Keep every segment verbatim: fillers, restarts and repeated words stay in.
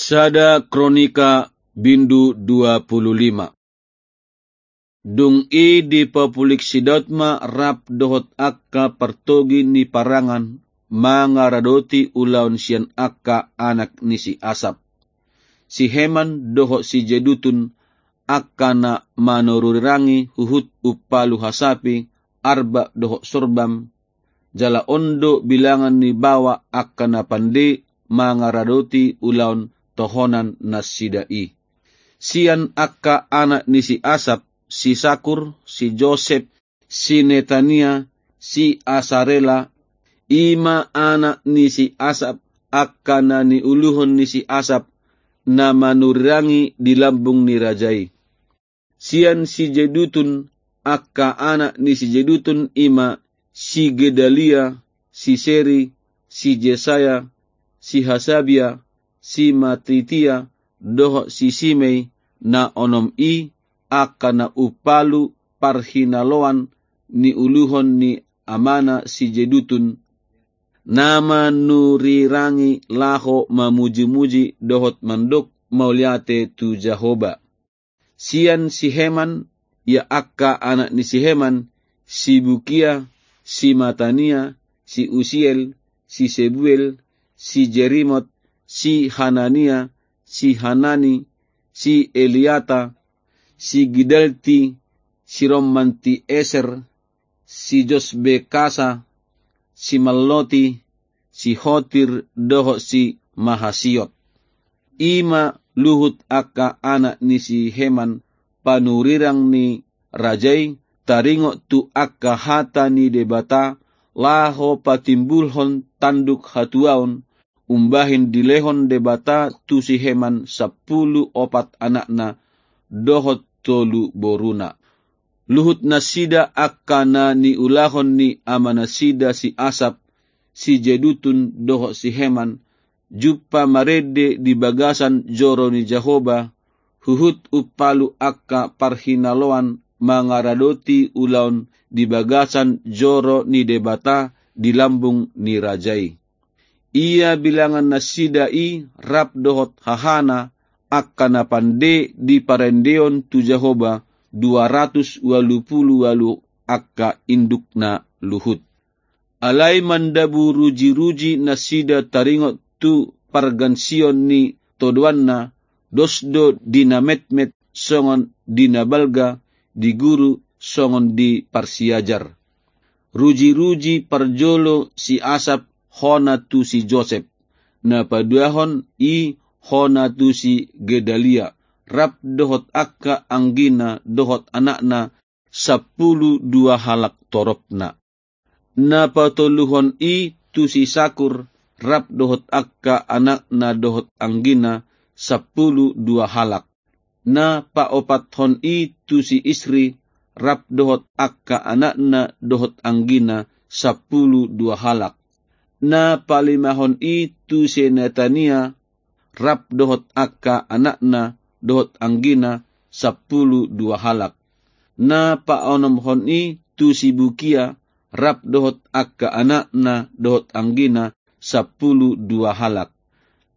Sada Kronika bindu dua pulu lima. Dung i dipapulik si Daud ma rap dohot angka partogi ni parangan mangaradoti ulaon sian angka anak ni si Asap. Si Heman dohot si Jedutun angka na manurirangi huhut umpalu hasapi, arba dohot sorbam, jala on do bilangan ni baoa angka na pande mangaradoti ulaon tohonan nasida i. Sian angka anak ni si Asap, si Sakur, si Josep, si Netania, si Asarela, i ma anak ni si Asap, angka na niuluhon ni si Asap, na manurirangi di lambung ni raja i. Sian si Jedutun, angka anak ni si Jedutun i ma si Gedalia, si Seri, si Jesaya, si Hasabia, si Matitia, dohot si Simei, na onom i angka na umpalu parhinaloan niuluhon ni amana si Jedutun, na manurirangi laho mamujimuji dohot mandok mauliate tu Jahowa. Sian si Heman, ia angka anak ni si Heman, si Bukia, si Matania, si Usiel, si Sebuel, si Jerimot, si Hanania, si Hanani, si Eliata, si Gidalti, si Rommanti Eser, si Josbekasa, si Malloti, si Hotir dohot si Mahasiot. I ma luhut angka anak ni si Heman panurirang ni raja i taringot tu angka hata ni Debata laho patimbulhon tanduk hatuaon, umbahen dilehon Debata tu si Heman sampulu opat anakna dohot tolu boruna. Luhut nasida angka na niulahon ni amanasida si Asap, si Jedutun dohot si Heman, jumpa marende di bagasan joro ni Jahowa, huhut umpalu angka parhinaloan mangaradoti ulaon di bagasan joro ni Debata di lambung ni raja i. Ia bilangan nasida i rap dohot hahana angka na pande di parendeon tu Jahowa, dua ratus ualu pulu ualu angka indukna luhut. Alai mandabu rujiruji nasida taringot tu pargansion ni todoanna, dos do di na metmet songon di na balga, di guru songon di parsiajar. Rujiruji parjolo si Asap hona tu si Josep, na paduahon i hona tu si Gedalia, rap dohot angka anggina dohot anakna, sampulu dua halak toropna. Na patoluhon i tu si Sakur, rap dohot angka anakna dohot anggina, sampulu dua halak. Na paopathon i tu si Isri, rap dohot angka anakna dohot anggina, sampulu dua halak. Na palimahon i tu si Netania, rap dohot angka anakna dohot anggina, sampulu dua halak. Na paonomhon i tu si Bukia, rap dohot angka anakna dohot anggina, sampulu dua halak.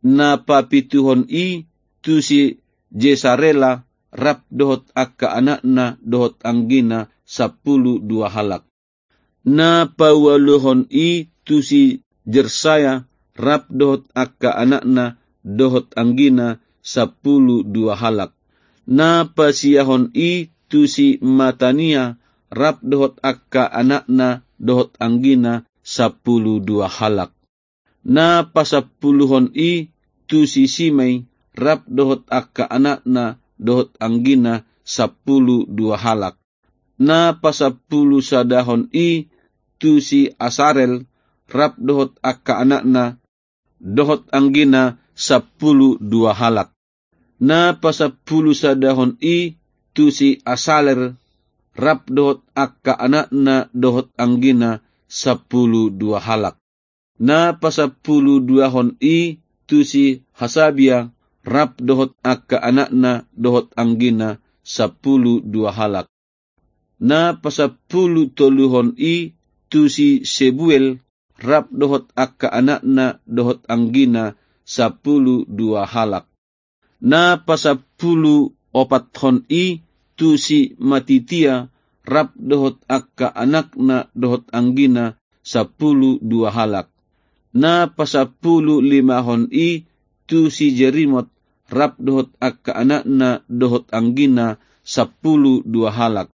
Na papituhon i tu si Jesarela, rap dohot angka anakna dohot anggina, sampulu dua halak. Na paualuhon i tu si Jersaya, rap dohot angka anakna dohot anggina, sampulu dua halak. Na pasiahon i tu si Matania, rap dohot angka anakna dohot anggina, sampulu dua halak. Na pasampuluhon i tu si Simei, rap dohot angka anakna dohot anggina, sampulu dua halak. Na pasampulusadahon i tu si Asarel, rap dohot angka anakna dohot anggina, sampulu dua halak. Na pasampulusadahon i tu si Asaler, rap dohot angka anakna dohot anggina, sampulu dua halak. Na pasampuluduahon i tu si Hasabia, rap dohot angka anakna dohot anggina, sampulu dua halak. Na pasampulutoluhon i tu si Sebuel, rap dohot angka anakna dohot anggina, sampulu dua halak. Na pasampulu opathon i tu si Matitia, rap dohot angka anakna dohot anggina, sampulu dua halak. Na pasampulu limahon i tu si Jerimot, rap dohot angka anakna dohot anggina, sampulu dua halak.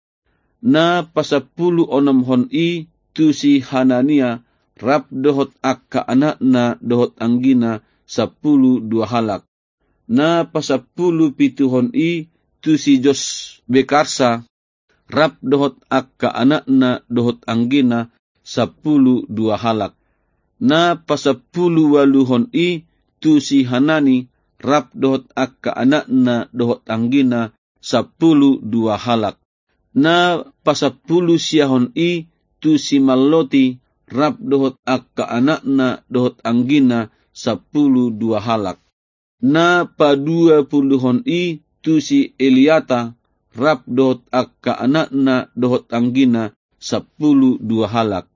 Na pasampulu onomhon i tu si Hanania, rap dohot angka anakna dohot anggina, sampulu dua halak. Na pasampulu pituhon i tu si Josbekarsa, rap dohot angka anakna dohot anggina, sampulu dua halak. Na pasampulu ualuhon i tu si Hanani, rap dohot angka anakna dohot anggina, sampulu dua halak. Na pasampulu siahon i tu si Malloti, rap dohot angka anakna dohot anggina, sampulu dua halak. Na paduapuluhon i tu si Eliata, rap dohot angka anakna dohot anggina, sampulu dua halak.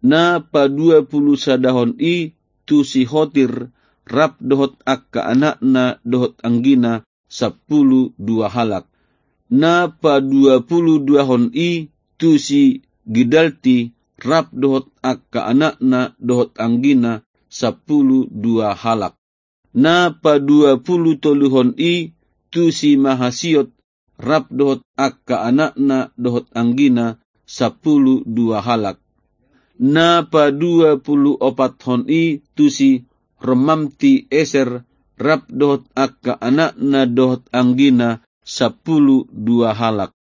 Na paduapulusadahon i tu si Hotir, rap dohot angka anakna dohot anggina, sampulu dua halak. Na paduapuluduahon i tu si Gidalti, rap dohot angka anakna dohot anggina, sampulu dua halak. Na paduapulutoluhon i tu si Mahasiot, rap dohot angka anakna dohot anggina, sampulu dua halak. Na paduapuluopathon i tu si Romamti Eser, rap dohot angka anakna dohot anggina, sampulu dua halak.